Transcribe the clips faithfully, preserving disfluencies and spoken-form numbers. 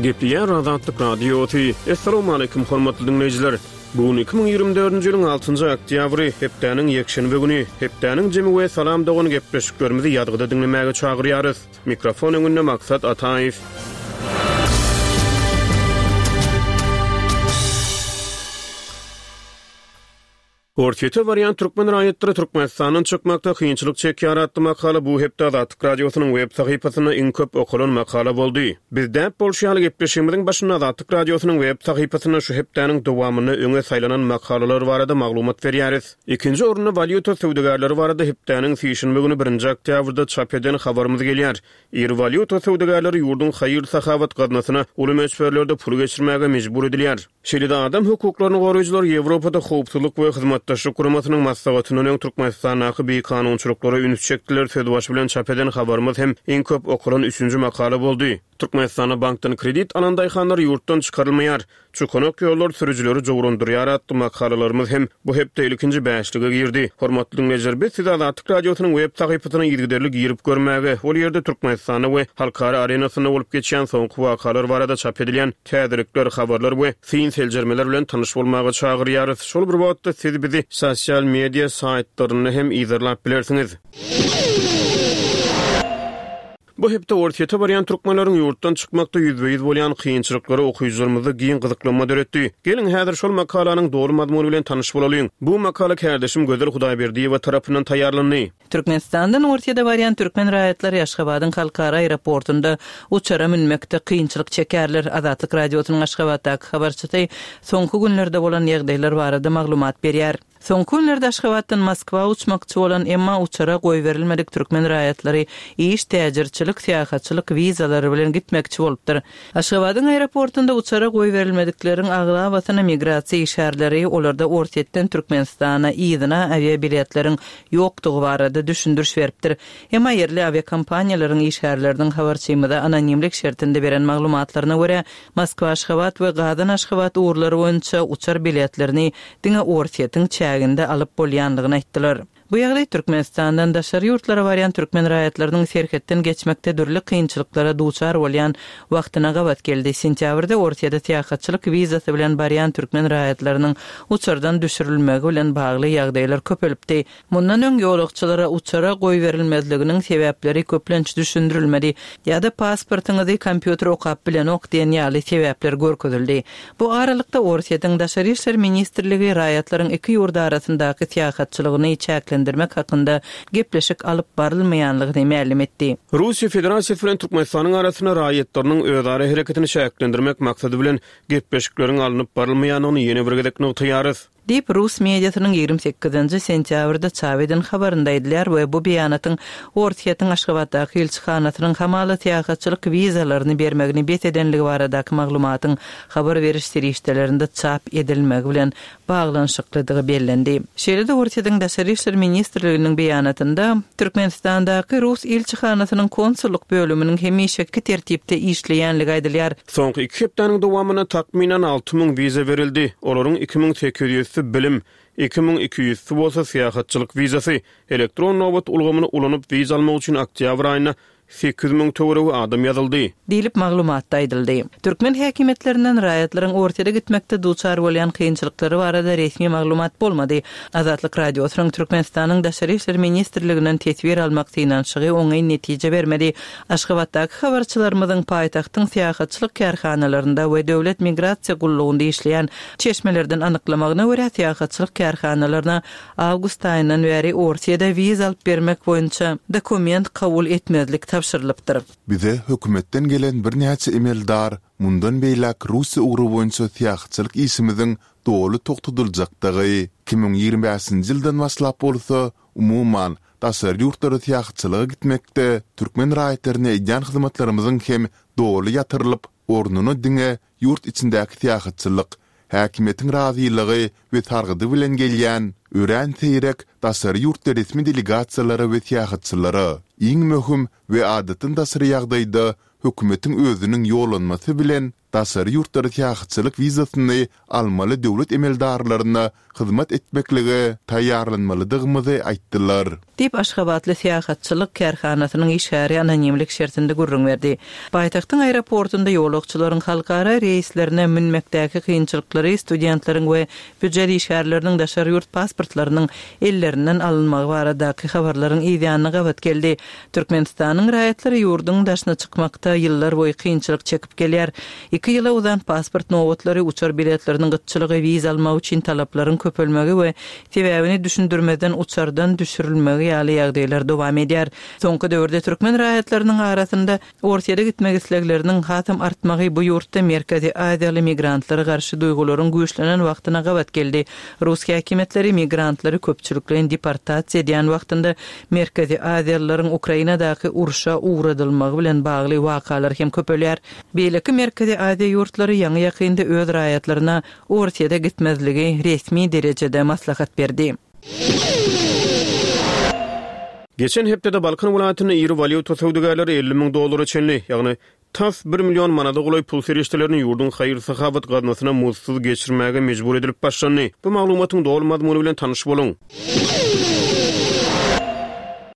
Gepleýär Azatlyk Radiosy. Assalamualaikum hormatly dinleýjiler. Bu gün iki müň ýigrimi dördünji ýylyň altynjy oktýabry, hepdäniň ýekşenbe güni. Hepdäniň jemi we Salam dogan gepleşiklerimizi ýazgyda diňlemäge çagyrýarys. Mikrofon öňünde Maksat Ataýew. Orsýete barýan türkmen raýatlary Türkmenistandan çykmakda kynçylyk çekýär atly makala bu hepde Azatlyk Radiosynyň web sahypasynda iň köp okalan makala boldy. Biz däp bolşy ýaly gepleşigimiziň başynda Azatlyk Radiosynyň web sahypasynda şu hepdäniň dowamynda öňe saýlanan makalalar barada maglumat berýäris. Ikinji orunda walýuta söwdagärleri barada hepdäniň sişenbe güni birinji oktýabrda çap eden habarymyz gelýär. Iri walýuta söwdagärleri ýurduň haýyr-sahawat gaznasyna uly möçberlerde pul geçirmäge mejbur edilýär. Şeýle-de adam hukuklaryny goraýjylar Ýewropada howpsuzlyk we hyzmatdaşlyk guramasynyň maslahatyndan öň Türkmenistandaky bikanunçylyklara üns çekdiler sözbaşy bilen çap eden habarymyz hem iň köp okalan üçünji makala boldy. Türkmenistanda bankdan kredit alan daýhanlar ýurtdan çykarylmaýar. Çukanak ýollar sürüjileri jowrandyrýar atly makalalarymyz hem bu hepde ilkinji bäşlige girdi. Hormatly dinleýjiler, biz sizi Azatlyk Radiosynyň web sahypasyna yzygiderli girip görmäge, ol ýerde Türkmenistanda we halkara arenasynda bolup geçýän soňky wakalar barada çap edilýän täzelikler, habarlar we syn seljermeler bilen tanyş bolmaga çagyrýarys. Şol bir wagtda siz bizi sosial media saýtlarynda hem yzarlap bilersiňiz. Bu hepde Orsýete barýan türkmenleriň ýurtdan çykmakda ýüzbe-ýüz bolýan kynçylyklary okyjylarymyzda giň gyzyklanma döretdi. Geliň, häzir şol makalanyň doly mazmuny bilen tanyş bolalyň. Bu makala kärdeşim Gözel Hudaýberdiýewa tarapyndan taýýarlandy. Türkmenistandan Orsýete barýan türkmen raýatlary Aşgabadyň halkara aeroportunda uçara münmekde kynçylyk çekerler. Azatlyk Radiosynyň Aşgabatdaky habarçysy soňky günlerde bolan ýagdaýlar barada maglumat berýär. Soňky günlerde Aşgabatdan Moskwa uçmakçy bolan, emma uçara goýberilmedik türkmen raýatlary iş, täjirçilik, syýahatçylyk wizalary bilen gitmekçi bolupdyr. Aşgabadyň aeroportunda uçara goýberilmedikleriň aglabasyna migrasiýa işgärleri, olarda Orsýetden Türkmenistana yzyna awiabiletleriň ýokdugy barada düşündiriş beripdir. Emma ýerli awiakompaniýalaryň işgärleriniň habarçymyza anonimlik şertinde beren maglumatlaryna görä, Moskwa Aşgabat we Gazan Aşgabat ugurlary boýunça uçar biletlerini diňe Orsýetiň çäginde alyp bolýandygyny aýtdylar. Bu ýagdaý Türkmenistandan daşary ýurtlara barýan türkmen raýatlarynyň serhetden geçmekde dürli kynçylyklara duçar bolýan wagtyna gabat geldi. Sentýabrda Orsýete syýahatçylyk wizasy bilen barýan türkmen raýatlarynyň uçardan düşürilmegi bilen bagly ýagdaýlar köpelipdi. Mundan öň ýolagçylara uçara goýberilmezliginiň sebäpleri köplenç düşündirilmedi ýa-da pasportyňyzy kompýuter okap bilenok diýen ýaly sebäpler görkezildi. Bu aralykda Orsýetiň Daşary işler ministrligi raýatlaryň iki ýurt arasyndaky syýahatçylygyny çäklendirmek hakynda gepleşik alyp barylmaýanlygyny mälim etdi. Russiýa Federasiýasy bilen Türkmenistanyň arasynda raýatlarynyň özara hereketini çäklendirmek maksady bilen gepleşikleriň alnyp barylmaýandygyny ýene bir gezek nygtaýarys. Diýip, rus mediasynyň ýigrimi sekizinji sentýabrda çap eden habarynda aýdylýar we bu beýanatyň Orsýetiň Aşgabatdaky ilçihanasynyň hamala syýahatçylyk wizalaryny bermegini bes edenligi baradaky maglumatyň habar beriş serişdelerinde çap edilmegi bilen baglanyşyklydygy bellendi. Şeýle-de Orsýetiň Daşary işler ministrliginiň beýanatynda Türkmenistandaky rus ilçihanasynyň konsullyk bölüminiň hemişeki tertipde işleýänligi aýdylýar. Soňky iki hepdäniň dowamynda takmynan alty müň wiza berildi. Olaryň iki müň sekiz ýüzsi bilim, iki müň iki ýüzsi bolsa syýahatçylyk wizasy. Elektron nobat ulgamyny ulanyp wiza almak üçin oktýabr aýynda sekiz müň töweregi adam ýazyldy. Diýlip maglumatda aýdyldy. Türkmen häkimiýetlerinden raýatlaryň Orsýete gitmekde duçar bolýan kynçylyklary barada resmi maglumat bolmady. Azatlyk Radiosynyň Türkmenistanyň Daşary işler ministrliginden teswir almak synanyşygy oňyn netije bermedi. Aşgabatdaky habarçylarymyzyň paýtagtyň syýahatçylyk kärhanalarynda we döwlet migrasiýa gullugynda işleýän çeşmelerden anyklamagyna görä, syýahatçylyk kärhanalaryna awgust aýyndan bäri Orsýete wiza alyp bermek boýunça dokument kabul etmezlik tabşyrylypdyr. Bize hökümetden gelen birnäçe emeldar mundan beýläk Russiýa ugry boýunça syýahatçylyk işimiziň doly togtadyljakdygy, iki müň ýigrimi bäşinji ýyldan başlap bolsa, umuman, daşary ýurtlara syýahatçylyga gitmekde türkmen raýatlaryna edýän hyzmatlarymyzyň hem doly ýatyrylyp, ornuna diňe ýurt içindäki syýahatçylyk, häkimiýetiň razylygy we sargydy bilen gelýän, örän seýrek daşary ýurtly resmi delegasiýalara we syýahatçylara, iň möhüm we adatdan daşary ýagdaýda hökümetiň özüniň ýollanmasy bilen daşary ýurtlara syýahatçylyk wizasyny almaly döwlet emeldarlaryna hyzmat etmeklige taýýarlanmalydygymyzy aýtdylar. Diýip, aşgabatly syýahatçylyk kärhanasynyň işgäri anonimlik şertinde gürrüň berdi. Paýtagtyň aeroportunda ýolagçylaryň halkara reýslerine münmekdäki kynçylyklary, studentleriň we býujet işgärleriniň daşary ýurt pasportlarynyň ellerinden alynmagy baradaky habarlaryň yzýanyna gabat geldi. Türkmenistanyň raýatlary ýurduň daşyna çykmakda ýyllarboýy kynçylyk çekip gelýär. Iki ýyla uzan pasport nobatlary, uçar biletleriniň gytçylygy, wiza almak üçin talaplaryň köpelmegi we sebäbini düşündirmezden uçardan düşürilmegi ýaly ýagdaýlar dowam edýär. Soňky döwürde türkmen raýatlarynyň arasynda Orsýete gitmek islegleriniň hasam artmagy bu ýurtda Merkezi Aziýaly migrantlara garşy duýgularyň güýçlenen wagtyna gabat geldi. Rus häkimiýetleri migrantlary köpçülikleýin deportasiýa edýän wagtynda Merkezi Aziýalylaryň Ukrainadaky urşa ugradylmagy bilen bagly wakalar hem köpelýär. Beýleki Merkezi Aziýa ýurtlary ýaňy-ýakynda öz raýatlaryna Orsýete gitmezligi resmi derejede maslahat berdi. Geçen hepdede Balkan welaýatynda iri walýuta söwdagärleri elli müň dollara çenli, ýagny tas bir million manada golaý pul serişdelerini ýurduň haýyr-sahawat gaznasyna muzdsuz geçirmäge mejbur edilip başlandy. Bu maglumatyň doly mazmuny bilen tanyş boluň.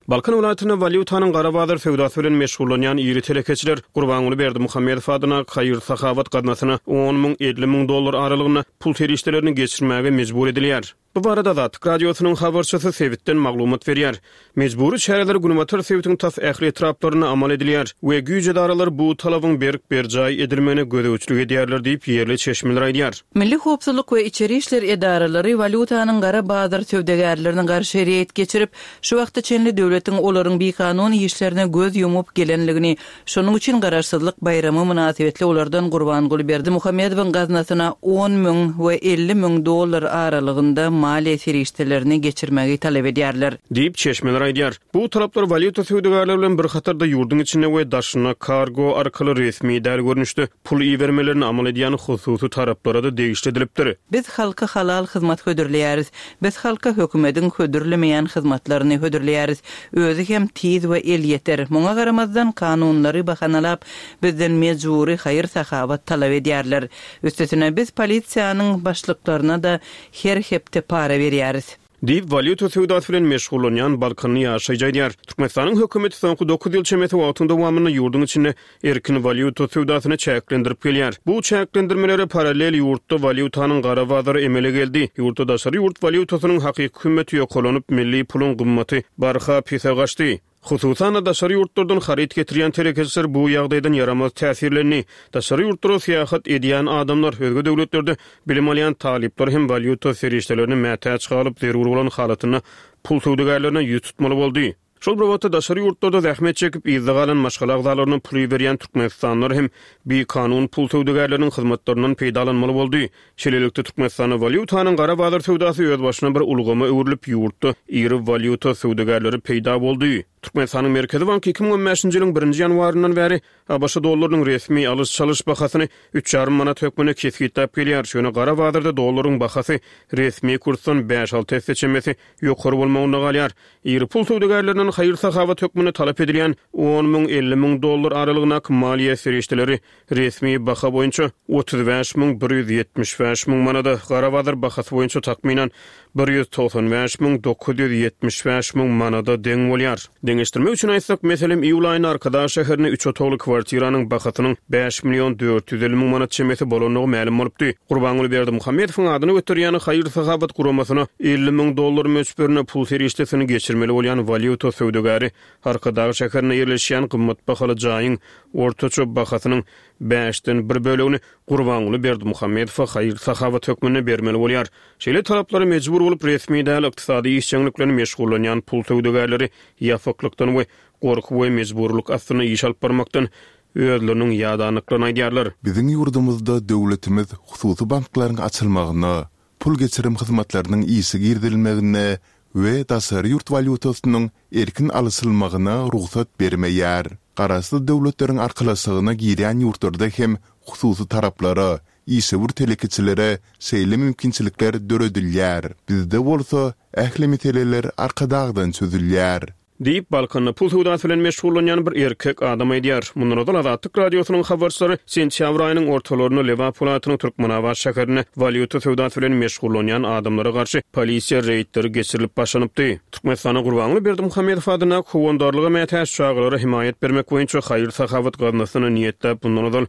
Balkan welaýatynda walýutanyň gara bazar söwdasy bilen meşgullanýan iri telekeçiler Gurbanguly Berdimuhamedow adyna haýyr-sahawat gaznasyna on müň, elli müň dollar aralygynda pul serişdelerini geçirmäge mejbur edilýär. Bu barada Azatlyk Radiosynyň habarçysy sebitden maglumat berýär. Mejbury çäreler günbatar sebitiň tas ähli etraplarynda amal edilýär we güýç edaralary bu talabyň berk berjaý edilmegine gözegçilik edýärler diýip, ýerli çeşmeler aýdýar. Milli howpsuzlyk we içeri işler edaralary walýutanyň gara bazar söwdagärlerine garşy reýd geçirip, şu wagta çenli döwletiň olaryň bikanun işlerine göz ýumup gelenligini, şonuň üçin Garaşsyzlyk baýramy mynasybetli olardan Gurbanguly Berdimuhamedowyň gaznasyna on müň we elli müň dollar aralygynda maliýe serişdelerini geçirmegi talap edýärler. Diýip, çeşmeler aýdýar. Bu talaplar walýuta söwdagärleri bilen bir hatarda ýurduň içinde we daşynda kargo arkaly resmi däl görnüşde pul ibermelerini amal edýän hususy taraplara-da degişli edilipdir. Biz halka halal hyzmat hödürleýäris. Biz halka hökümediň hödürlemeýän hyzmatlaryny hödürleýäris. Özi hem tiz we elýeter. Muňa garamazdan, kanunlary bahanalap, bizden mejbury haýyr-sahawat talap edýärler. Üstesine, biz polisiýanyň başlyklaryna-da her hepde para berýäris. Diýip, walýuta söwdasy bilen meşgullanýan balkanly ýaşaýjy aýdýar. Türkmenistanyň hökümeti soňky dokuz ýyl çemesi wagtyň dowamynda ýurduň içinde erkin walýuta söwdasyny çäklendirip gelýär. Bu çäklendirmelere parallel ýurtda walýutanyň gara bazary emele geldi. Ýurtda daşary ýurt walýutasynyň hakyky hümmeti ýokarlanyp, milli puluň gymmaty barha pese gaçdy. Hususan-da, daşary ýurtlardan haryt getirýän telekeçiler bu ýagdaýdan ýaramaz täsirlendi. Daşary ýurtlara syýahat edýän adamlar, özge döwletlerde bilim alýan talyplar hem walýuta serişdelerine mätäç galyp, zerur bolan halatynda pul söwdagärlerine ýüz tutmaly boldy. Şol bir wagtda, daşary ýurtlarda zähmet çekip, yzda galan maşgala agzalaryna pul iberýän türkmenistanlylar hem bikanun pul söwdagärleriniň hyzmatlaryndan peýdalanmaly boldy. Şeýlelikde, Türkmenistanda walýutanyň gara bazar söwdasy özbaşyna bir ulgama öwrülip, ýurtda iri walýuta söwdagärleri peýda boldy. Türkmenistanyň Merkezi banky iki müň on bäşinji ýylyň birinji ýanwaryndan bäri ABŞ dollarynyň resmi alyş-çalyş bahasyny üç ýarym manat hökmünde kesgitläp gelýär. Ýöne gara bazarda dollaryň bahasy resmi kursdan bäş-alty esse çemesi ýokary bolmagynda galýar. Iri pul söwdagärlerinden haýyr-sahawat hökmünde talap edilýän on müň, elli müň dollar aralygyndaky maliýe serişdeleri resmi baha boýunça otuz bäş müň bir ýüz ýetmiş bäş müň manada, gara bazar bahasy boýunça takmynan bir ýüz togsan bäş müň dokuz ýüz ýetmiş bäş müň manada deň bolýar. Deňeşdirmek üçin aýtsak, meselem, iýul aýynda Arkadag şäherinde üç otagly kwartiranyň bahasynyň bäş million dört ýüz elli müň manat çemesi bolandygy mälim bolupdy. Gurbanguly Berdimuhamedowyň adyny göterýän haýyr-sahawat guramasyna elli müň dollar möçberinde pul serişdesini geçirmeli bolýan walýuta söwdagäri Arkadag şäherinde ýerleşýän gymmat bahaly jaýyň ortaça bahasynyň bäşden bir bölegini Gurbanguly Berdimuhamedowa haýyr-sahawat hökmünde bermeli bolýar. Şeýle talaplara mejbur bolup, resmi däl ykdysady işjeňlik bilen meşgullanýan pul söwdagärleri ýapyklykdan we gorky we mejburylyk astynda iş alyp barmakdan özleriniň ýadanlyklaryny aýdýarlar. Biziň ýurdumyzda döwletimiz hususy banklaryň açylmagyna, pul geçirim hyzmatlarynyň işe girizilmegine we daşary ýurt walýutasynyň erkin alyşylmagyna rugsat bermeýär. Garaşsyz Döwletleriň Arkalaşygyna girýän ýurtlarda hem hususy taraplara, işewür telekeçilere şeýle mümkinçilikler döredilýär. Bizde bolsa ähli meseleler Arkadagdan çözülýär. Diýip, Balkanda pul söwdasy bilen meşgullanýan bir erkek adam aýdýar. Mundan ozal Azatlyk Radiosynyň habarçylary sentýabr aýynyň ortalarynda Lebap welaýatynyň Türkmenabat şäherinde walýuta söwdasy bilen meşgullanýan adamlara garşy polisiýa reýdleri geçirilip başlanypdy. Türkmenistanda Gurbanguly Berdimuhamedow adyndaky Howandarlyga mätäç çagalara hemaýat bermek boýunça haýyr-sahawat gaznasyna niýetläp mundan ozal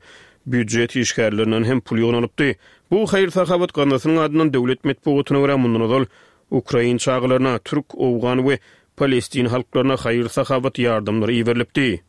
býujet işgärlerinden hem pul ýygnalypdy. Bu haýyr-sahawat gaznasynyň adyndan döwlet metbugatyna görä mundan ozal ukrain çagalaryna, türk, owgan we palestin halklaryna haýyr-sahawat ýardamlary iberilipdi.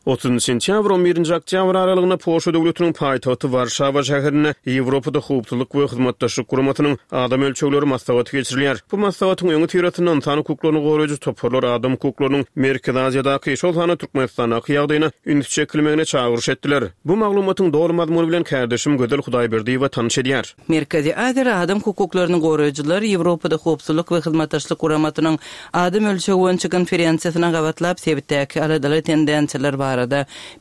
Otuzynjy sentýabr, on birinji oktýabr aralygynda Polşa döwletiniň paýtagty Warşawa şäherinde Ýewropada Howpsuzlyk we Hyzmatdaşlyk Guramasynyň Adam ölçegleri maslahaty geçirilýär. Bu maslahatyň öňüsyrasynda ynsan hukuklaryny goraýjy toparlar adam hukuklarynyň Merkezi Aziýadaky, şol sanda Türkmenistandaky ýagdaýyna üns çekilmegine çagyryş etdiler. Bu maglumatyň doly mazmuny bilen kärdeşim Gözel Hudaýberdiýewa tanyş edýär. Merkezi Aziýada adam hukuklaryny goraýjylar Ýewropada Howpsuzlyk we Hyzmatdaşlyk Guramasynyň Adam ölçegi boýunça konferensiýasyna gabatlap sebitdäki aladaly tendensiýalar barada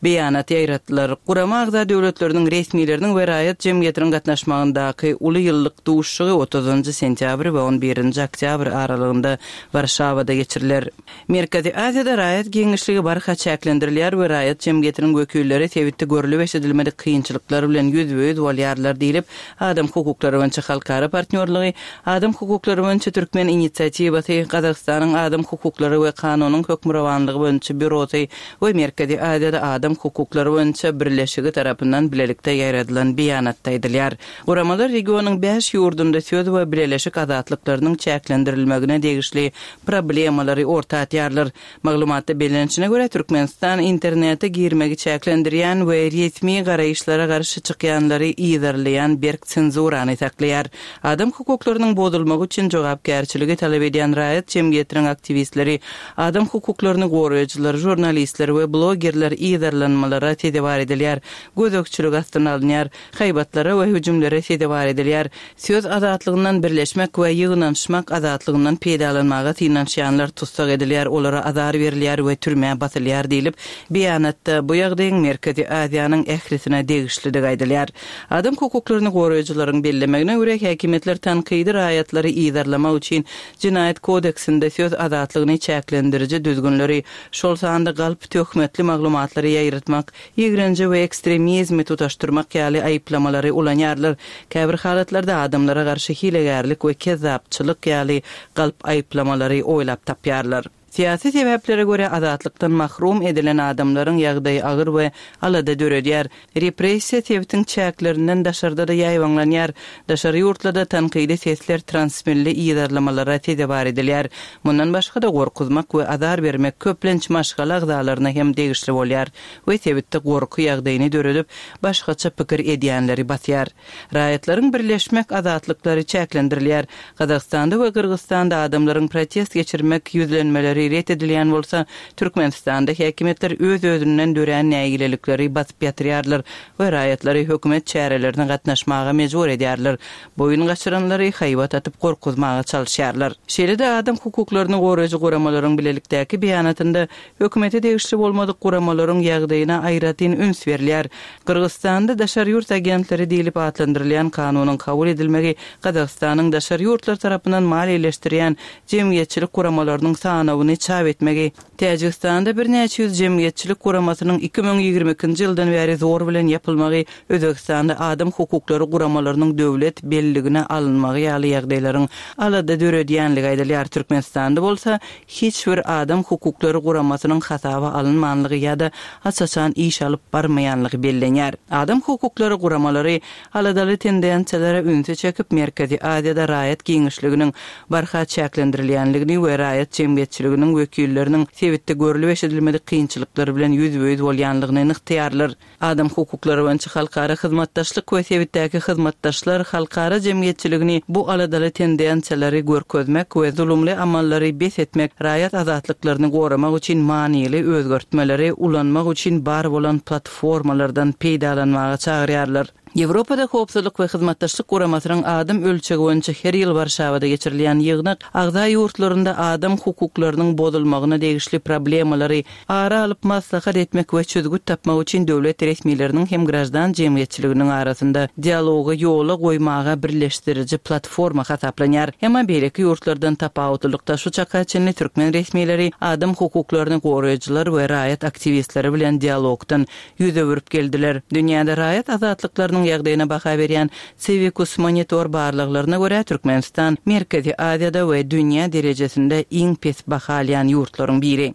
beýanat ýaýratdylar. Gurama agza döwletleriniň resmileriniň we raýat jemgyýetiniň gatnaşmagyndaky uly ýyllyk duşuşygy otuzynjy sentýabr we on birinji oktýabr aralygynda Warşawada geçiriler. Merkezi Aziýada raýat giňişligi barha çäklendirilýär we raýat jemgyýetiniň wekilleri sebitde görlüp eşidilmedik kynçylyklar bilen ýüzbe-ýüz bolýarlar diýlip, Adam hukuklary boýunça halkara partnýorlygy, Adam hukuklary boýunça türkmen inisiatiwasy, Gazagystanyň Adam hukuklary we kanunyň hökmürowanlygy boýunça býurosy we Merkezi Aziýada Adam hukuklary boýunça birleşigi tarapyndan bilelikde ýaýradylan beýanatda aýdylýar. Guramalar regionyň bäş ýurdunda söz we bileleşik azatlyklarynyň çäklendirilmegine degişli problemalary orta atýarlar. Maglumatda bellenişine görä, Türkmenistan internete girmegi çäklendirýän we resmi garaýyşlara garşy çykýanlary yzarlaýan berk senzurany saklaýar. Adam hukuklarynyň bozulmagy üçin jogapkärçiligi talap edýän raýat jemgyýetiniň aktiwistleri, adam hukuklaryny goraýjylar, žurnalistler we blogerler yzarlanmalara sezewar edilýär, gözegçilik astyna alynýar, haýbatlara we hüjümlere sezewar edilýär, söz azatlygyndan birleşmek we ýygnanyşmak azatlygyndan peýdalanmaga synanyşýanlar tussag edilýär, olara azar berilýär we türmä basylýar diýlip, beýanatda bu ýagdaýyň Merkezi Aziýanyň ählisine degişlidigi aýdylýar. Adam hukuklaryny goraýjylaryň bellemegine görä, häkimiýetler tankydy raýatlary yzarlamak üçin Jenaýat kodeksinde söz azatlygyny çäklendiriji düzgünleri, şol sanda galp töhmetli maglumatlary ýaýratmak, ýigrenji we ekstremizmi tutaşdyrmak ýaly aýyplamalary ulanýarlar. Käbir halatlarda adamlara garşy hilegärlik we kezzapçylyk ýaly galp aýyplamalary oýlap tapýarlar. Syýasy sebäplere görä azatlykdan mahrum edilen adamlaryň ýagdaýy agyr we alada döredýär. Repressiýa sebitiň çäklerinden daşarda-da ýaýbaňlanýar. Daşary ýurtlarda tankydy sesler transmilli yzarlamalara sezewar edilýär. Mundan başga-da gorkuzmak we azar bermek köplenç maşgala agzalaryna hem degişli bolýar we sebitde gorky ýagdaýyny döredip, başgaça pikir edýänleri basýar. Raýatlaryň birleşmek azatlyklary çäklendirilýär. Gazagystanda we Gyrgyzystanda adamlaryň protest geçirmek ýüzlenmeleri ret edilýän bolsa, Türkmenistanda häkimiýetler öz-özünden dörän nägilelikleri basyp ýatyrýarlar we raýatlary hökümet çärelerine gatnaşmaga mejbur edýärler, boýun gaçyranlary haýbat atyp gorkuzmaga çalyşýarlar. Şeýle-de adam hukuklaryny goraýjy guramalaryň bilelikdäki beýanatynda hökümete degişli bolmadyk guramalaryň ýagdaýyna aýratyn üns berilýär. Gyrgyzystanda daşary ýurt agentleri diýlip atlandyrylýan kanunyň kabul edilmegi Gazagystanyň daşary ýurtlar tarapyndan maliýeleşdirýän jemgyýetçilik guramalarynyň sanawyny çap etmegi, Täjigistanda birnäçe ýüz jemgyýetçilik guramasynyň iki müň ýigrimi ikinji ýyldan bäri zor bilen ýapylmagy, Özbegistanda adam hukuklary guramalarynyň döwlet belligine alynmagy ýaly ýagdaýlaryň alada döredýänligi aýdylýar. Türkmenistanda bolsa hiç bir adam hukuklary guramasynyň hasaba alynmanlygy ýa-da aç-açan iş alyp barmaýanlygy bellenýär. Adam hukuklary guramalary aladaly tendensiýalara ünsi çekip, Merkezi Aziýada raýat giňişliginiň barha çäklendirilýänligini we raýat jemgyýetçiliginiň wekilleriniň sebitde görlüp-eşidilmedik kynçylyklar bilen ýüzbe-ýüz bolýanlygyny nygtaýarlar. Adam hukuklary boýunça halkara hyzmatdaşlyk we sebitdäki hyzmatdaşlar halkara jemgyýetçiligini bu aladaly tendensiýalary görkezmek we zulumly amallary bes etmek, raýat azatlyklaryny goramak üçin manyly özgertmeleri ulanmak üçin bar bolan platformalardan peýdalanmaga çagyrýarlar. Ýewropada Howpsuzlyk we Hyzmatdaşlyk Guramasynyň adam ölçegi boýunça her ýyl Warşawada geçirilýän ýygnak agza ýurtlarynda adam hukuklarynyň bozulmagyna degişli problemalary ara alyp maslahat etmek we çözgüt tapmak üçin döwlet resmileriniň hem graždan jemgyýetçiliginiň arasynda dialogy ýola goýmaga birleşdiriji platforma hasaplanýar. Emma beýleki ýurtlardan tapawutlylykda şu çaka çenli türkmen resmileri adam hukuklaryny goraýjylar we raýat aktiwistleri bilen dialogdan ýüz öwürip geldiler. Dünýäde raýat azatlyklarynyň ýagdaýyna baha berýän Civicus Monitor barlaglaryna görä Türkmenistan Merkezi Aziýada we dünýä derejesinde iň pes baha alýan ýurtlaryň biri.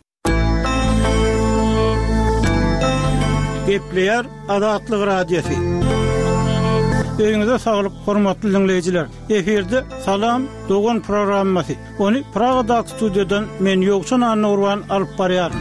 Gepleýär Azatlyk Radiosy. Öýüňize saglyk, hormatly diňleýjiler. Efirde Salam dogan programmasy. Ony Pragadaky studiýadan men Ýowşan Annagurban alyp barýaryn.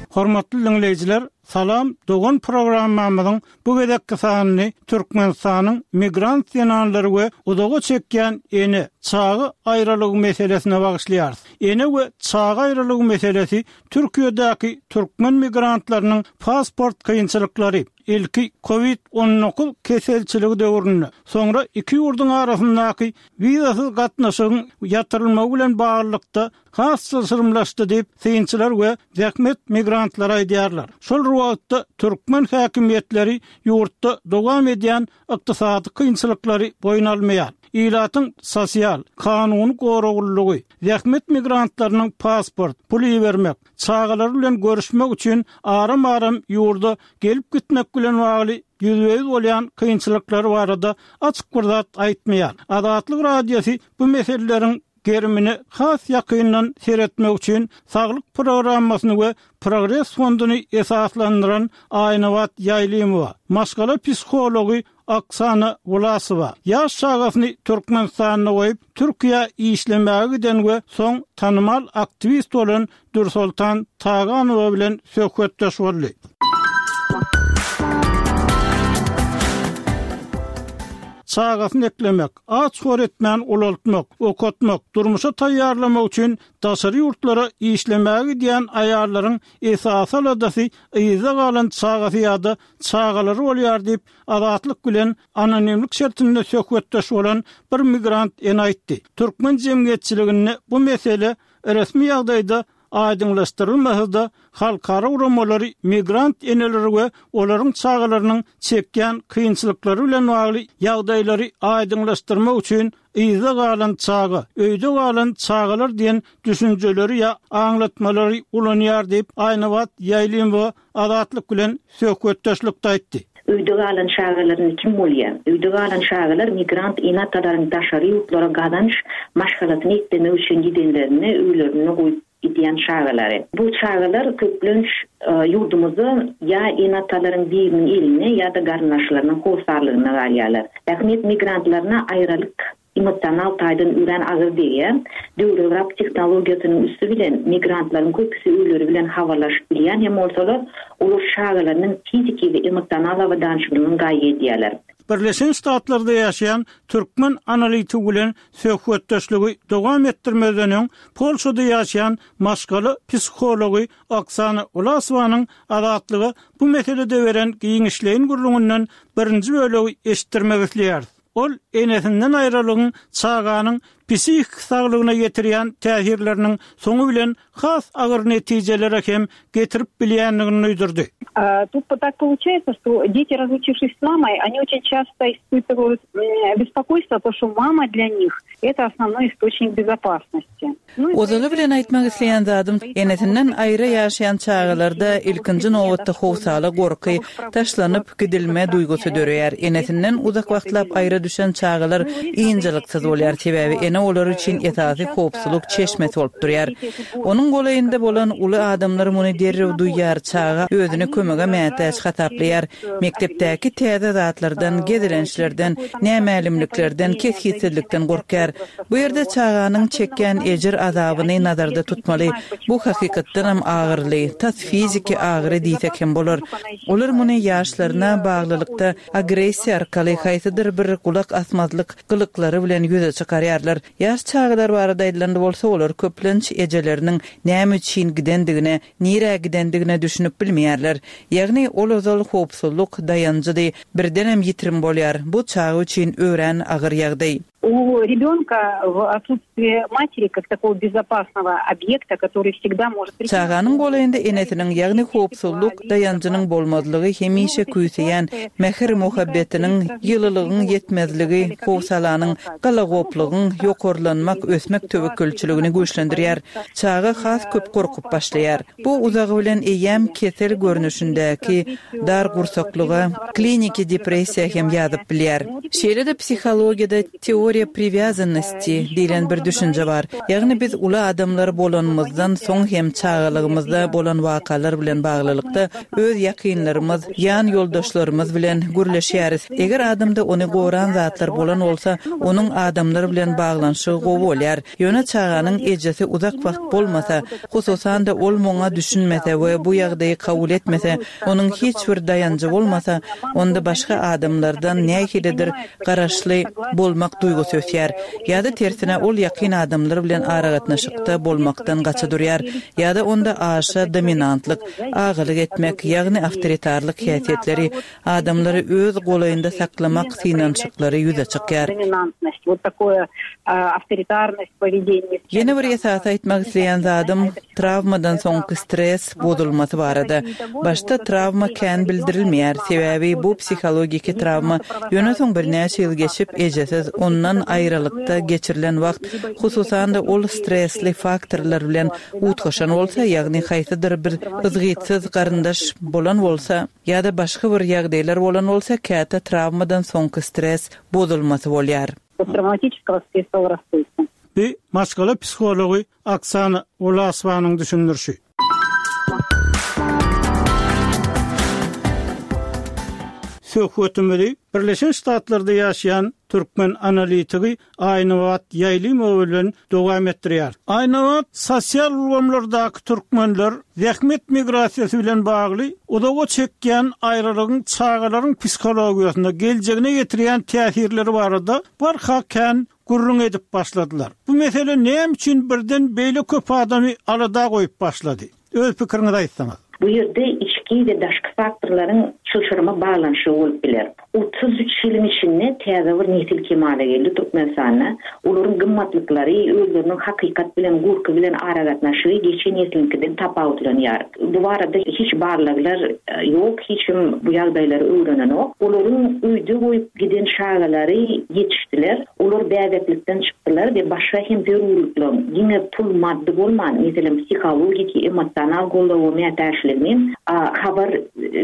Hormatly diňleýjiler, Salam dogan programmamyzyň bu gezekki sanyny Türkmenistanyň migrant zenanlary we uzaga çekýän ene, çaga aýralygy meselesine bagyşlaýarys. Ene we çaga aýralygy meselesi Türkiýedäki türkmen migrantlarynyň pasport kynçylyklary, ilki Covid on dokuz keselçiligi döwründe, soňra iki ýurduň arasyndaky wizasyz gatnaşygyň ýatyrylmagy bilen baglylykda has çylşyrymlaşdy diýip, synçylar we zähmet migrantlary aýdýarlar. Şol wagtda türkmen häkimiýetleri ýurtda dowam edýän ykdysady kynçylyklary boýun almaýar. Ilatyň sosial, kanuny goraglylygy, zähmet migrantlarynyň pasport, pul ibermek, çagalar bilen görüşmek üçin aram-aram ýurda gelip gitmek bilen bagly ýüzbe-ýüz bolýan kynçylyklary barada açyk bir zat aýtmaýar. Azatlyk Radiosy bu meseleleriň gerimine has ýakyndan seretmek üçin saglyk programmasyny we Progres fonduny esaslandyran Aýnabat Ýaýlymowa, maşgala psihology Oksana Wlasowa, ýaş çagasyny Türkmenistanda goýup, Türkiýä işlemäge giden we soň tanymal aktiwist bolan Dürsoltan Taganowa bilen söhbetdeş boldy. Çagasyny eklemek, aç-hor etmän ulaltmak, okatmak, durmuşa taýýarlamak üçin daşary ýurtlara işlemäge gidýän aýallaryň esasy aladasy yzda galan çagasy ýa-da çagalary bolýar diýip, Azatlyk bilen anonimlik şertinde söhbetdeş bolan bir migrant ene aýtdy. Türkmen jemgyýetçiliginde bu mesele resmi ýagdaýda aýdyňlaşdyrylmasa-da, halkara guramalary migrant eneleri we olaryň çagalarynyň çekýän kynçylyklary bilen bagly ýagdaýlary aýdyňlaşdyrmak üçin yzda galan çaga, öýde galan çagalar diýen düşünjeleri ýa aňlatmalary ulanýar diýip, Aýnabat Ýaýlymowa Azatlyk bilen söhbetdeşlikde aýtdy. Öýde galan çagalaryny kim bolýar? Öýde galan çagalar migrant ene-atalaryň daşary ýurtlara gazanç maşgalasyny eklemek üçin gidenlerini öýlerinde goýup gidýän çagalary. Bu çagalar köplenç, e, ýurdumyzda ýa ene-atalaryň biriniň eline ýa-da garyndaşlarynyň hossarlygyna galýarlar. Zähmet migrantlaryna aýralyk emosional taýdan örän agyr degýär. Döwrebap tehnologiýasynyň üsti bilen migrantlaryň köpüsi öýleri bilen habarlaşyp bilýän hem bolsalar, olar çagalarynyň fiziki we emosional abadançylygyny gaýgy edýärler. Birleşen Ştatlarda ýaşaýan türkmen analitigi bilen söhbetdeşligi dowam etdirmezden öň Polşada ýaşaýan maşgala psihology Oksana Wlasowanyň Azatlyga bu meselede beren giňişleýin gürrüňinden birinji bölegi eşitdirmek isleýäris. Ol enesinden aýralygyň çaganyň psihik saglygyna ýetirýän täsirleriniň soňy bilen has agyr netijelere hem getirip bilýändigini duýdurdy. А, тут так получается, что дети, разлучившись с мамой, они очень часто испытывают, м, беспокойство, потому что мама для них это основной источник безопасности. Ну и Ozaly bilen aýtmak isleýän zadym, enesinden aýry ýaşaýan çagalarda ilkinji nobatda howsala gorky, taşlanyp gidilme duýgusy döreýär. Enesinden uzak wagtlap aýry düşen çagalar ynjalyksyz bolýar, sebäbi ene olar üçin esasy howpsuzlyk çeşmesi bolup durýar. Onuň golaýynda bolan uly adamlar muny derrew duýýar, çaga özüni kömege mätäç hasaplaýar. Mekdepdäki täze zatlardan, gezelençlerden, nämälimliklerden, kesgitsizlikden gorkýar. Bu ýerde çaganyň çekýän ejir azabyny nazarda tutmaly. Bu hakykatdanam agyrly, tas fiziki agyry diýsek hem bolar. Olar muny ýaşlaryna baglylykda agressiýa arkaly haýsydyr bir gulak gulak asmazlyk gylyklary bilen ýüze çykarýarlar. Ýaş çagalar barada aýdylanda bolsa, olar köplenç ejeleriniň näme üçin gidendigine, nirä gidendigine düşünip bilmeýärler. Ýagny ol ozal howpsuzlyk daýanjydy, birdenem ýitirim bolýar. Bu çaga üçin örän agyr ýagdaý. У ребенка в отсутствие матери как такого безопасного объекта, который всегда может прийти. Çaganyň golaýynda enesiniň, ýagny howpsuzlyk daýanjynyň bolmazlygy hemişe küýseýän mähir-muhabbetiniň, ýylylygyň ýetmezligi, howsalanyň, galagoplygyň ýokarlanmak, ösmek töwekgelçiligini güýçlendirýär. Çaga has köp gorkup başlaýar. Bu uzagy bilen eýýäm kesel görnüşindäki dar gursaklyga, kliniki depressiýa hem ýazyp bilýär. Şeýle-de psihologiýada teoriýa привязанности diýlen bir düşünje bar. Ýagny biz uly adamlar bolanymyzdan soň hem çagalygymyzda bolan wakalar bilen baglylykda öz ýakynlarymyz, ýan ýoldaşlarymyz bilen gürleşýäris. Eger adamda ony goran zatlar bolan bolsa, onuň adamlar bilen baglanyşygy gowy bolýar. Ýöne çaganyň ejesi uzak wagt bolmasa, hususan-da ol muňa düşünmese we bu ýagdaýy kabul etmese, onuň hiç bir daýanjy bolmasa, onda başga adamlardan nähilidir garaşly bolmak duýgusy ösýär. Ýa-da tersine ol ýakyn adamlar bilen aragatnaşykda bolmakdan gaça durýar. Ýa-da onda aşa dominantlyk, agalyk etmek, ýagny awtoritarlyk häsiýetleri, adamlary öz golaýynda saklamak synanyşyklary ýüze çykýar. Доминантность, вот такое авторитарность поведения. Ýene bir esasy aýtmak isleýän zadym trawmadan soňky stres bozulmasy barada. Başda trawma kän bildirilmeýär, sebäbi bu psihologiki trawma ýöne soň birnäçe ýyl geçip ejesiz ondan aýralykda geçirilen wagt, hususan-da ol stresli faktorlar bilen utgaşan bolsa, ýagny haýsydyr bir yzgytsyz garyndaş bolan bolsa ýa-da başga bir ýagdaýlar bolan bolsa, käte trawmadan soňky stres bozulmasy bolýar. Посттравматического стрессового расстройства. Bu maşgala psihology Oksana Ulasowanyň düşündirişi. Söhbetimizi Birleşen Ştatlarda ýaşaýan türkmen analitigi Aýnabat Ýaýlymow bilen dowam etdirýär. Aýnabat sosial ulgamlardaky türkmenler zähmet migrasiýasy bilen bagly uzaga çekýän aýralygyň çagalaryň psihologiýasyna geljegine getirýän täsirleri barada barha kän gürrüň edip başladylar. Bu mesele näme üçin birden beýle köp adamy alada goýup başlady? Öz pikiriňizi aýtsaňyz. Bu ýerde içki we daşky faktorlaryň çylşyrymly baglanyşygy bolup biler. Otuz üç ýylyň içinde täze bir nesil kemala geldi Türkmenistanda. Olaryň gymmatlyklary, özleriniň hakykat bilen, gurky bilen aragatnaşygy geçen nesliňkiden tapawutlanýar. Bu barada hiç barlaglar ýok, hiç kim bu ýagdaýlary öwrenenok. Olaryň öýde goýup giden çagalary ýetişdiler. Olar bäbeklikden çykdylar we başga hem zerurlyklaryň diňe pul maddy bolman, meselem psihologiki, emosional goldawa mätäçligini habar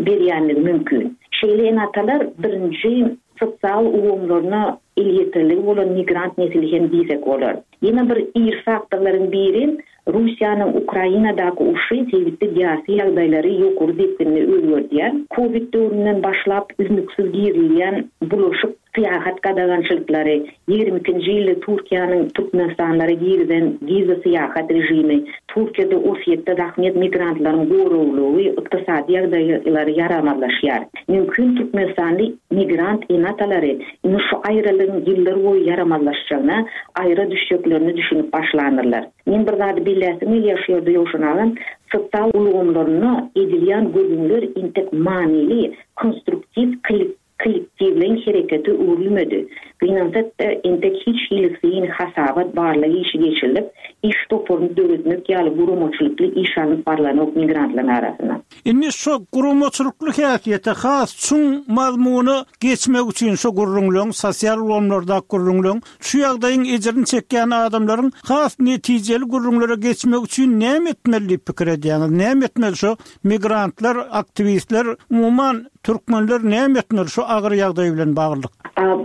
berýänligi mümkin. Şeýle enatalar birinji sosial ulgamlaryna elýeterligi bolan migrant nesli hem diýsek bolar. Ýene bir ir faktorlaryň biri Russiýanyň Ukrainadaky urşy sebitde syýasy ýagdaýlary ýokary depginde özgerdýär. Covid döwründen başlap üznüksiz girilýän bulaşyk syýahat gadagançylyklary, ýigrimi ikinji ýylda Türkiýäniň Türkmenistanlara girizen wiza syýahat rejimi, Türkiýede Orsýetde zähmet migrantlaryň goraglygy, ykdysady ýagdaýlary ýaramazlaşýar. Mümkin Türkmenistanly migrant enatalary indi şu aýralygyň ýyllar boýy ýaramazlaşjagyna, aýra düşjeklerini düşünip başlanyrlar. Men bir zady billäsim gelýär şu ýerde ýowşan agam, sosial ulgamlaryna edilýän gürrüňler intek manyly, konstruktiv kollektiwleýin hereketi öwrülmedi. Gynansak-da entek hiç hili syn hasabat barlygy işi geçirilip, iş toparyny döretmek ýaly guramaçylykly iş alnyp barlanok migrantlaryň arasynda. Indi şu guramaçylykly häsiýete has çuň mazmuna geçmek üçin şu gürrüňleň, sosial ulgamlarda gürrüňleň, şu ýagdaýyň ejirini çekýän adamlaryň has netijeli gürrüňlere geçmek üçin näme etmeli diýip pikir edýäňiz? Näme etmeli şu migrantlar, aktiwistler, umuman türkmenler näme etmeli şu agyr ýagdaý bilen baglylyk?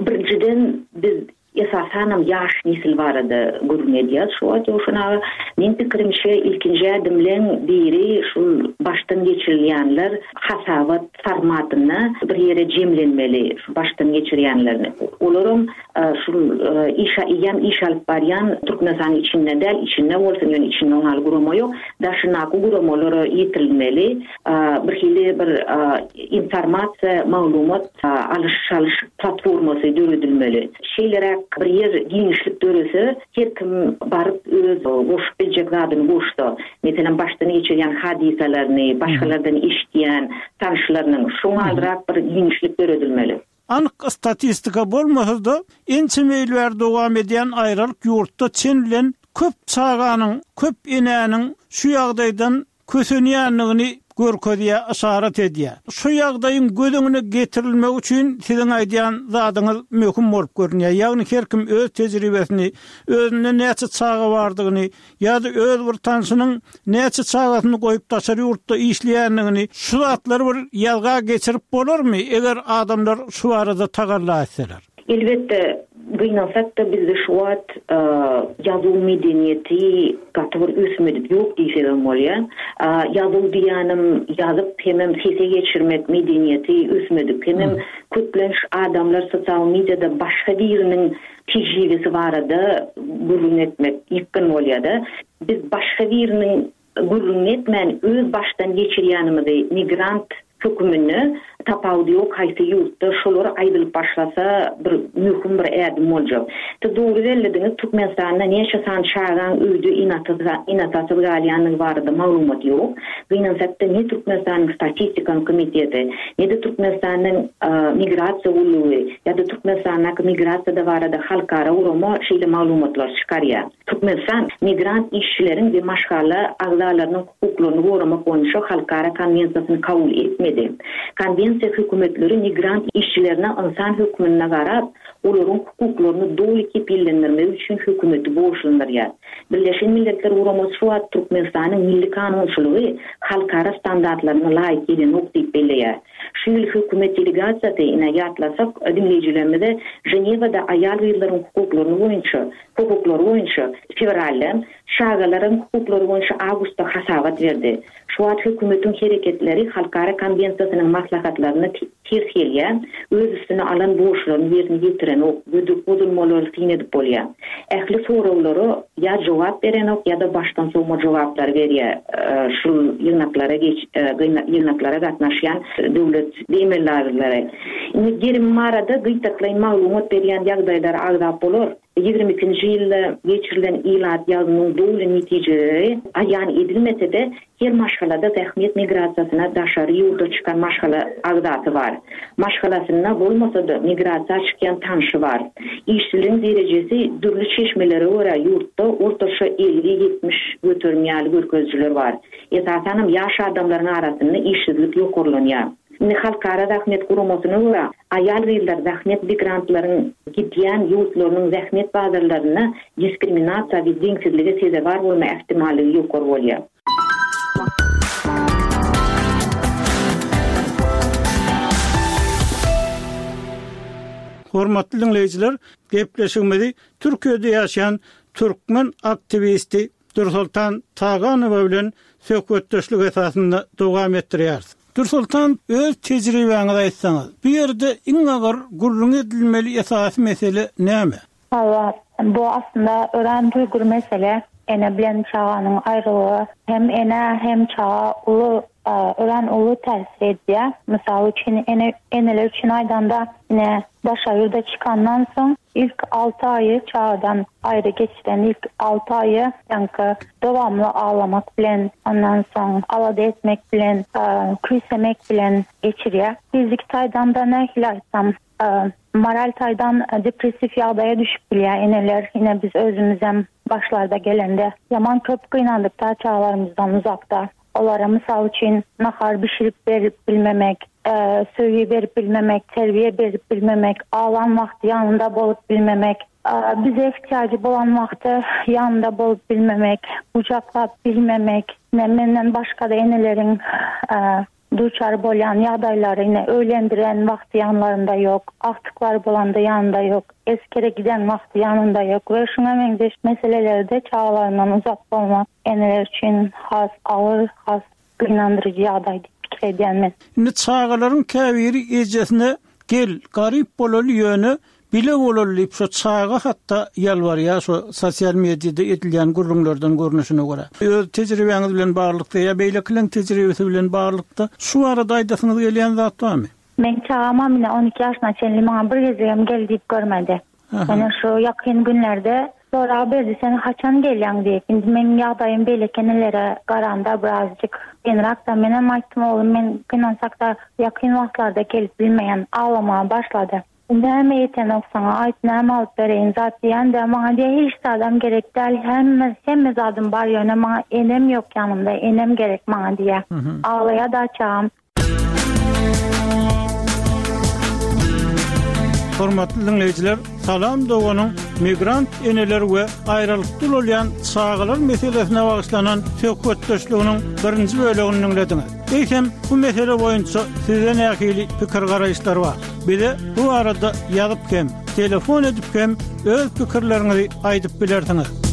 Birinjiden biz Esasanam ýaş nesil barada gürrüň edýär şu wagt Ýowşan aga. Meň pikirimçe ilkinji ädimleň biri şul başdan geçirilýänler hasabat formatynda bir ýere jemlenmeli şu başdan geçirýänlerini. Olaram şul iş eýýäm iş alyp barýan Türkmenistanyň içinde däl, içinde bolsun, ýöne içinde oňaly gurama ýok. Daşyndaky guramalara ýetirilmeli. Bir hili bir informasiýa, maglumat alyş-çalyş platformasy döredilmeli. Şeýleräk bir ýer giňişlik dörese, her kim baryp öz goşup biljek zadyny goşsa, meselem başdan geçirýän hadysalaryny, başgalardan eşitýän tanyşlarynyň şoňalrak bir giňişlik döredilmeli. Anyk statistika bolmasa-da, ençeme ýyl bäri dowam edýän aýralyk ýurtda çen bilen köp çaganyň, köp enäniň şu ýagdaýdan kösenýändigini görkezýär, yşarat edýär. Şu ýagdaýyň göz öňüne getirilmegi üçin siziň aýdýan zadyňyz möhüm bolup görünýär. Ýagny her kim öz tejribesini, özünde näçe çaga bardygyny ýa-da öz bir tanşynyň näçe çagasyny goýup daşary ýurtda işleýändigini şu zatlary bir ýazga geçirip bolarmy, eger adamlar şu barada tagalla etseler? Elbetde, gynansak-da bizde şu wagt ýazuw medeniýeti gaty bir ösmedik ýok diýsegem bolýar. Ýazuw diýýänim ýazyp hemem sese geçirmek medeniýeti ösmedik. Hemem köplenç adamlar sosial mediada başga biriniň tejribesi barada gürrüň etmek ýykgyn bolýar-da. Biz başga biriniň gürrüň etmän öz başdan geçirýänimizi migrant höküminde tapawudy ýok haýsy ýurtda şolar aýdylyp başlasa bir möhüm bir ädim boljak. Siz dogry bellediňiz, Türkmenistanda näçe san çagaň öýde ene-atasyz galýandygy barada maglumat ýok. Gynansak-da ne Türkmenistanyň statistika komiteti, ne-de Türkmenistanyň migrasiýa gullugy ýa-da Türkmenistandaky migrasiýada barada halkara gurama şeýle maglumatlar çykarýar. Türkmenistan migrant işçileriň we maşgala agzalarynyň hukuklaryny goramak boýunça halkara konwensiýasyny kabul etmedi. Konwensiýa hökümetleri migrant işçilerine ynsan hökmünde garap, olaryň hukuklaryny doly kepillendirmek üçin hökümeti borçlandyrýar. Birleşen Milletler Guramasy şu wagt Türkmenistanyň milli kanunçylygy halkara standartlaryna laýyk gelenok diýip belleýär. Şu ýyl hökümet delegasiýasy ine ýatlasak diňleýjilerimize Ženewada aýal gyzlaryň hukuklaryny boýunça, hukuklary boýunça fewralda, çagalaryň hukuklary boýunça awgustda hasabat berdi. Şu wagt hökümetiň hereketleri halkara konwensiýasynyň maslahatlaryna ters gelýär, öz üstüne alan borçlaryny ýerine ýetirenok, gödek bozulmalary syn edip bolýar. Ähli soraglara ýa jogap berenok ýa-da başdan sowma jogaplary berýär. Şu ýygnaklara geç ýygnaklara gatnaşýan döwlet emeldarlary. Indi gerim barada gytaklaýyn maglumat berýän ýagdaýlar agzap bolar. Ýigrimi ikinji ýylda geçirilen ilat ýazynyň doly netijeleri aýan edilmese-de, her maşgalada zähmet migrasiýasyna daşary ýurda çykan maşgala agzasy bar. Maşgalasynda bolmasa-da migrasiýa çykýan tanşy bar. Işçiligiň derejesi dürli çeşmelere görä ýurtda ortaça elli ýetmiş göterim ýaly görkezijiler bar. Esasanam ýaş adamlaryň arasynda işsizlik ýokarlanýar. Indi halkara zähmet guramasyna görä aýal gyzlar zähmet migrantlaryň gidýän ýurtlarynyň zähmet bazarlarynda diskriminasiýa we deňsizlige sezewar bolma ähtimallygy ýokary bolýar. Hormatly dinleýjiler, gepleşigimizi Türkiýede ýaşaýan türkmen aktiwisti Dürsoltan Taganowa bilen söhbetdeşlik esasynda dowam etdirýäris. Dürsoltan, öz tejribäňizi aýtsaňyz, bu ýerde iň agyr gürrüň edilmeli esasy mesele näme? Hawa, bu aslynda örän duýgur mesele. Ene bilen çaganyň aýrylygy hem ene hem çaga uly, örän uly täsir edýär. Mysal üçin, ene, eneler üçin aýdanda, ene daşary ýurda çykandan soň ilk alty aýy çagadan aýry geçiren ilk alty aýy ýaňky dowamly aglamak bilen, ondan soň alada etmek bilen, küýsemek bilen geçirýär. Fiziki taýdan da nähili aýtsam, moral taýdan depressiw ýagdaýa düşüp bilýär eneler. Ine biz özümizem başlarda gelende ýaman köp gynandyk da çagalarymyzdan uzakda. Olara mysal üçin nahar bişirip berip bilmemek, söýgi berip bilmemek, terbiýe berip bilmemek, aglan wagty ýanynda bolup bilmemek, bize ihtiyacı bolan wagty ýanynda bolup bilmemek, gujaklap bilmemek, ine menden başga da eneleriň duçar bolýan ýagdaýlary ine öýlendiren wagty ýanlarynda ýok, agtyklary bolanda ýanynda ýok, esgere giden wagty ýanynda ýok we şuňa meňzeş meselelerde çagalaryndan uzak bolmak eneler üçin has agyr, has gynandyryjy ýagdaý diýip pikir edýän men. Indi çagalaryň käbiri ejesine gel, garyp bolaly ýöne bile bolaly diýip şo çaga hatda ýalbarýar şo sosial mediada edilýän gürrüňlerden görnüşine görä. Öz tejribäňiz bilen baglylykda ýa beýlekileň tejribesi bilen baglylykda şu barada aýdasyňyz gelýän zat barmy? Meň çagam ine on iki ýaşyna çenli maňa bir gezegem gel diýip görmedi. Ýöne şu ýakyn günlerde sorag berdi sen haçan gelýäň diýip. Indi meň ýagdaýym beýleki enelere garanda birazjyk kynrak-da menem aýtdym oglum men gynansakda ýakyn wagtlarda gelip bilmeýän aglamaga başlady. Näme ýetenok saňa aýt näme alyp bereýin zat diýende maňa diýýär hiç zadam gerek däl hemme hemme zadym bar ýöne maňa enem ýok ýanymda enem gerek maňa diýýär. Aglaýar-da çagam. Hormatly diňleýjiler, Salam doganyň migrant eneler we aýralykda ulalýan çagalar meselesine bagyşlanan söhbetdeşliginiň birinji bölegini diňlediňiz. Eýsem, bu mesele boýunça sizde nähili pikir-garaýyşlar bar? Bize bu barada ýazyp hem, telefon edip hem öz pikirleriňizi aýdyp bilersiňiz.